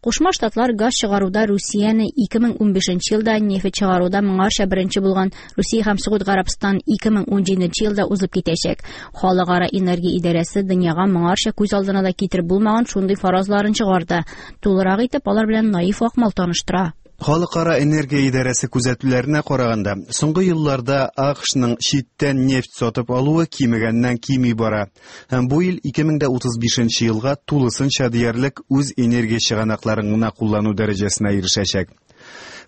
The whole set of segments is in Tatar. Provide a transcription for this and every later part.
Кушма Штатлар газ чыгаруда Русияне 2015 елда, нефть чыгаруда моңарча беренче булган Русия һәм Согуд Гарәбстан 2017 елда узып китәчәк. Халыкара энергия идарәсе дөньяга моңарча күз алдына да китереп булмаган шундый фаразларын чыгарды. Тулырак итеп алар белән Наиф Акмал таныштыра. Халыкара энергия идарәсе күзәтүләренә караганда, соңгы елларда АКШның читтән нефть сатып алуы кимегәннән кими бара. Һәм бу ил 2035 елга тулысынча диярлек үз энергия чыганакларын гына куллану дәрәҗәсенә ирешәчәк.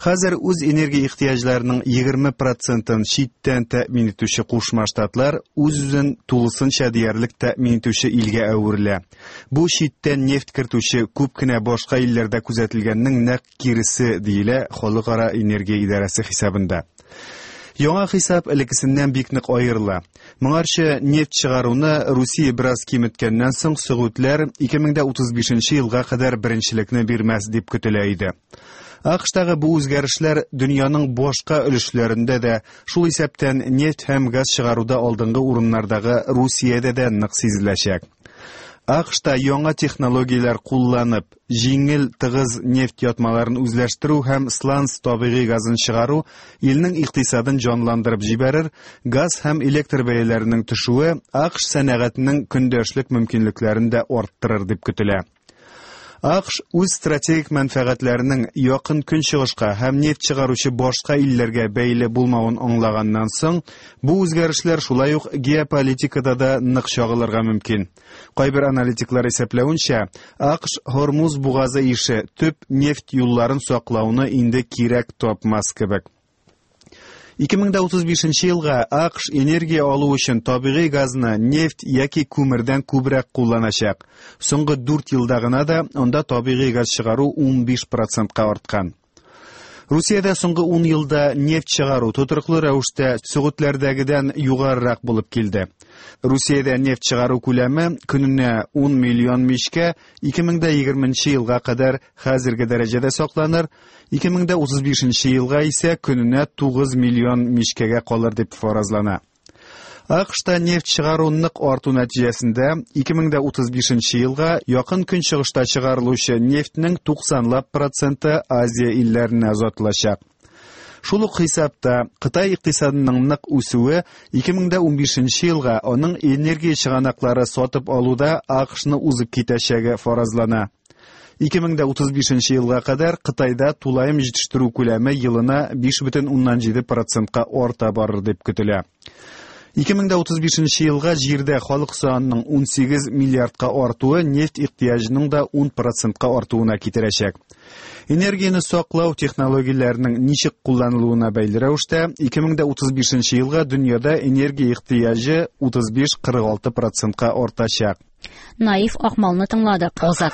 Хәзер үз энергия ихтыяҗларының 20 процентын читтән тәэмин итүче Кушма Штатлар үз-үзен тулысынча диярлек тәэмин итүче илгә әверелә. Бу читтән нефть кертүче күп кенә башка илләрдә күзәтелгәннең нәкъ киресе, диелә Халыкара энергия идарәсе хисабында. Яңа хисап элеккесеннән бик нык аерыла. Моңарчы нефть чыгаруны Русия бераз киметкәннән соң Сөгудләр 2035 елга кадәр беренчелекне бирмәс дип көтелә иде. АКШтагы бу үзгәрешләр дөньяның башка өлешләрендә дә, шул исәптән нефть һәм газ чыгаруда алдынгы урыннардагы Русиядә дә нык сизеләчәк. АКШта яңа технологияләр кулланып, җиңел тыгыз нефть ятмаларын үзләштерү һәм сланц табигый газын чыгару илнең икътисадын җанландырып җибәрер, газ һәм электр бәяләренең төшүе АКШ сәнәгатенең көндәшлек мөмкинлекләрен дә арттырыр дип көтелә. АКШ үз стратегик мәнфәгатьләренең Якын Көнчыгышка һәм нефть чыгаручы башка илләргә бәйле булмавын аңлаганнан соң, бу үзгәрешләр шулай ук геополитикада да нык чагылырга мөмкин. Кайбер аналитиклар исәпләвенчә, АКШ Һормуз бугазы ише төп нефть юлларын саклауны инде кирәк тапмас кебек. 2035 елга АКШ энергия алу өчен табигый газны нефть яки күмердән күбрәк кулланачак. Соңгы 4 елда гына да анда табигый газ чыгару 15 процентка арткан. Русиядә соңгы 10 елда нефть чыгару тотрыклы рәвештә Сөгудләрдәгедән югарырак булып килде. Русиядә нефть чыгару күләме көненә 10 миллион мичкә 2020 елга кадәр хәзерге дәрәҗәдә сакланыр, 2035 елга исә көненә 9 миллион мичкәгә калыр дип фаразлана. АКШта нефть чыгару нык арту нәтиҗәсендә 2035 елга Якын Көнчыгышта чыгарылучы нефтьнең 90 проценты Азия илләренә озатылачак. Шул ук хисапта Кытай икътисадының нык үсүе 2015 елга аның энергия чыганаклары сатып алуда АКШны узып китәчәге фаразлана. 2035 елга кадәр Кытайда тулаем җитештерү күләме елына 5,7 процентка арта барыр дип көтелә. 2035 елга җирдә халык санының 18 миллиардка артуы нефть ихтыяҗының да 10 процентка артуына китерәчәк. Энергияне саклау технологияләренең ничек кулланылуына бәйле рәвештә 2035 елга дөньяда энергия ихтыяҗы 35-46 процентка артачак. Наиф Акмалны тыңладык. Азат.